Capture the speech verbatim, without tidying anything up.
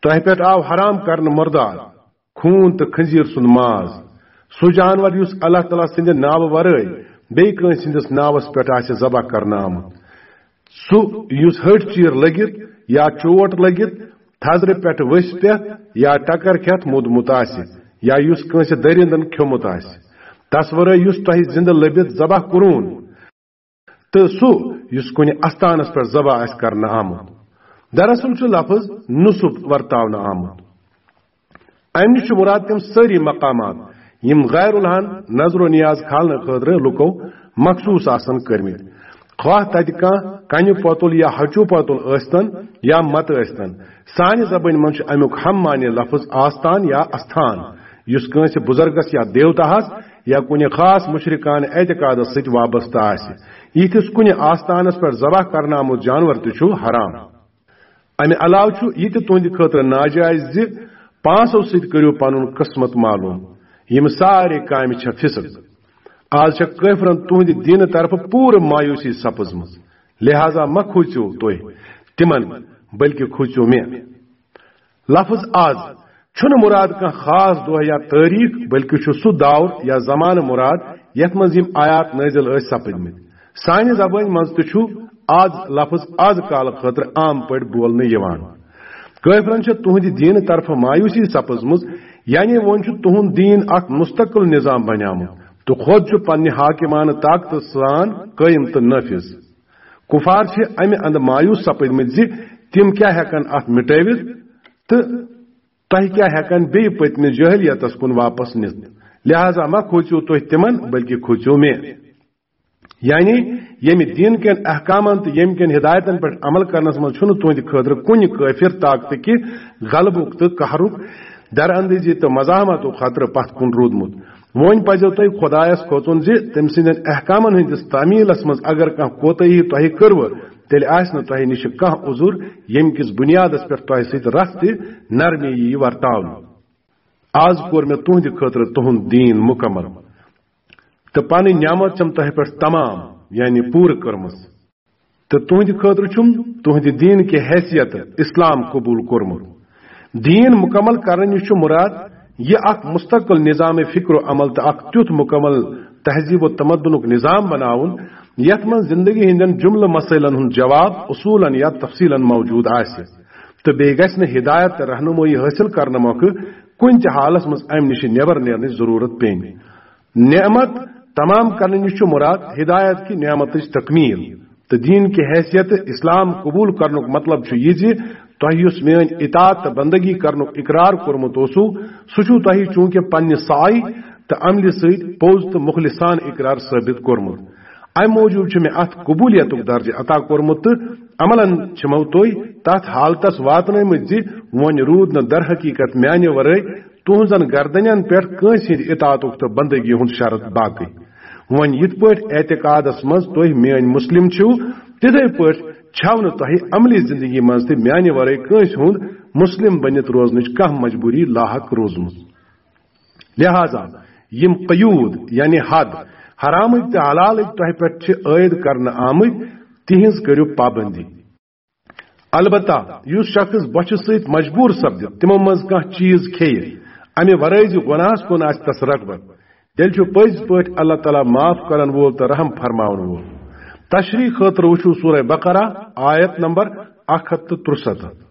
تۄہہِ پٮ۪ٹھ آو حرام کرنہٕ مُردار، خوٗن تہٕ خنزیر سُنٛد ماز، سُہ جانور یُس اللہ تعالیٰ سٕنٛدِ ناوٕ ورٲے بیٚیہِ کٲنٛسہِ ہٕنٛدِس ناوس پٮ۪ٹھ آسہِ ذبح کرنہٕ آمُت، سُہ یُس ۂٹۍ چیٖر لٔگِتھ یا چوٹ لٔگِتھ، تھزرِ پٮ۪ٹھ ؤسۍ پٮ۪تھ یا ٹکر کھٮ۪تھ موٗدمُت آسہِ، یا یُس کٲنٛسہِ دٔرِندن کھیوٚمُت آسہِ، تس ورٲے یُس تۄہہِ زِندٕ لٔبِتھ ذبح کوٚرُن، تہٕ سُہ یُس کُنہِ استانس پٮ۪ٹھ ذبح آسہِ کرنہٕ آمُت۔ دراصل چھُ لفظ نصب ورتاونہٕ آمُت۔ امہِ نِش چھُ مراد تِم سٲری مقامات، یِم غیر الحن نظر و نیاز کھالنہٕ خٲطرٕ لُکو مخصوٗص آسن کٔرمٕتۍ، خواہ تتہِ کانٛہہ کنہِ پۄتُل یا ہچوٗ پۄتُل ٲسۍتن یا متہٕ ٲسۍتن۔ سانہِ زبٲنۍ منٛز چھُ امیُک ہم معنی لفظ آستان یا استھان، یُس کٲنٛسہِ بُزرگس یا دیوتاہس یا کُنہِ خاص مشرکانہٕ اعتقادس سۭتۍ وابستہٕ آسہِ۔ یِتھِس کُنہِ آستانس پٮ۪ٹھ ذبح کرنہٕ آمُت جانور تہِ چھُ حرام۔ امہِ علاوٕ چھُ یہِ تہِ تُہنٛدِ خٲطرٕ ناجائز زِ پانٛژو سۭتۍ کٔرِو پنُن قسمت معلوم۔ یِم سارے کامہِ چھےٚ فسق۔ آز چھےٚ کٲفرن تُہنٛدِ دینہٕ طرفہٕ پوٗرٕ مایوسی سپٕزمٕژ، لہذا مہ کھوٗژِو تُہۍ تِمن، بلکہِ کھوٗژِو مےٚ۔ لفظ از چھُنہٕ مراد کانٛہہ خاص دۄہ یا تٲریخ، بلکہِ چھُ سُہ دور یا زمانہٕ مراد یتھ منٛز یِم آیات نٲزِل ٲسۍ سپٕدمٕتۍ۔ سانہِ زبٲنۍ منٛز تہِ چھُ از لفظ از کالہٕ خٲطرٕ عام پٲٹھۍ بولنہٕ یِوان۔ کٲفرن چھےٚ تُہنٛدِ دیٖنہٕ طرفہٕ مایوسی سپٕزمٕژ، یعنی وۄنۍ چھُ تُہنٛد دیٖن اکھ مستقل نظام بنیومُت تہٕ خۄد چھُ پننہِ حاکمانہٕ طاقتہٕ سان قٲیِم تہٕ نٲفذ۔ کفار چھِ امہِ اندٕ مایوس سپٕدمٕتۍ زِ تِم کیٛاہ ہٮ۪کن اتھ مٹٲوِتھ تہٕ تۄہہِ کیٛاہ ہٮ۪کن بیٚیہِ پٔتمہِ جٲہلیتس کُن واپس نِتھ؟ لہذا مہ کھوژِو تُہۍ تِمن، بلکہِ کھوژِو مےٚ۔ یعنی ییٚمہِ دین کٮ۪ن احکامن تہٕ ییٚمہِ کٮ۪ن ہدایتن پٮ۪ٹھ عمل کرنس منٛز چھُنہٕ تُہنٛدِ خٲطرٕ کُنہِ کٲفر طاقتہٕ کہِ غلبُک تہٕ قہرُک، دراندیزی تہٕ مزاحمتُک خطرٕ پتھ کُن روٗدمُت۔ وۄنۍ پزیو تۄہہِ خۄدایس کھوژُن زِ تٔمۍ سٕنٛدٮ۪ن احکامن ہٕنٛدِس تعمیلس منٛز اگر کانٛہہ کوتٲہی تۄہہِ کٔروٕ، تیٚلہِ آسہِ نہٕ تۄہہِ نِش کانٛہہ عذر، ییٚمہِ کِس بُنیادس پٮ۪ٹھ تۄہہِ سۭتۍ رژھ تہِ نرمی ییہِ ورتاونہٕ۔ از کوٚر مےٚ تُہنٛدِ خٲطرٕ تُہنٛد دیٖن مُکمل تہٕ پنٕنۍ نعمت چھم تۄہہِ پٮ۪ٹھ تمام، یعنی پوٗرٕ کٔرمٕژ، تہٕ تُہنٛدِ خٲطرٕ چھُم تُہنٛدِ دیٖن کہِ حیثیت اسلام قبول کوٚرمُت۔ دیٖن مُکمل کرنہٕ نِش چھُ مُراد یہِ اکھ مستقل نظام فکر و عمل تہٕ اکھ تیُتھ مُکمل تہذیب و تمدنُک نظام بناوُن، یتھ منٛز زندگی ہٕنٛدٮ۪ن جملہٕ مسٲیلن ہُنٛد جواب اصولاً یا تفصیلاً موجود آسہِ، تہٕ بیٚیہِ گژھِ نہٕ ہدایت تہٕ رہنمٲیی حٲصِل کرنہٕ مۄکھٕ کُنہِ تہِ حالس منٛز امہِ نِش نٮ۪بر نیرنٕچ ضروٗرت پیٚنۍ۔ نعمت تمام کرنہٕ نِش چھُ مُراد ہدایت کہِ نعمتٕچ تکمیل۔ تہٕ دیٖن کہِ حیثیت اسلام قبول کرنُک مطلب چھُ یہِ زِ تۄہہِ یُس میٲنۍ اطاعت تہٕ بندگی کرنُک اقرار کوٚرمُت اوسوٕ، سُہ چھُو تۄہہِ چوٗنٛکہِ پننہِ سعی تہٕ عملہِ سۭتۍ پوٚز تہٕ مخلصانہٕ اقرار ثٲبت کوٚرمُت۔ امہِ موٗجوٗب چھُ مےٚ اتھ قبولیتُک درجہٕ عطا کوٚرمُت تہٕ عملاً چھِمو تُہۍ تتھ حالتس واتنٲومٕتۍ زِ وۄنۍ روٗد نہٕ در حقیقت میانہِ ورٲے تُہنٛزن گردنٮ۪ن پٮ۪ٹھ کٲنٛسہِ ہٕنٛدِ اطاعتُک تہٕ بندگی ہُنٛد شرط باقٕے۔ وۄنۍ یِتھ پٲٹھۍ اعتقادس منٛز تُہۍ میٲنۍ مسلم چھِو، تِتھے پٲٹھۍ چھَو نہٕ تۄہہِ عملی زندگی منٛز تہِ میانہِ ورٲے کٲنٛسہِ ہُنٛد مسلم بٔنِتھ روزنٕچ کانٛہہ مجبوٗری لاحق روٗزمٕژ۔ لہذا یِم قیود یعنی حد حرامٕکۍ تہٕ حلالٕکۍ تۄہہِ پٮ۪ٹھ چھِ عٲید کرنہٕ آمٕتۍ، تِہنٛز کٔرِو پابندی۔ البتہ یُس شخص بۄچھِ سۭتۍ مجبوٗر سپدِ تِمو منٛز کانٛہہ چیٖز کھیٚیہِ، امہِ ورٲے زِ گۄناہس کُن آسہِ تس رغبت، تیٚلہِ چھُ پٔزۍ پٲٹھۍ اللہ تعالیٰ معاف کرن وول تہٕ رحم فرماون وول۔ تشریح خٲطرٕ وٕچھِو سورہ بقرہ، آیت نمبر اکھ ہتھ تہٕ ترُسَتتھ۔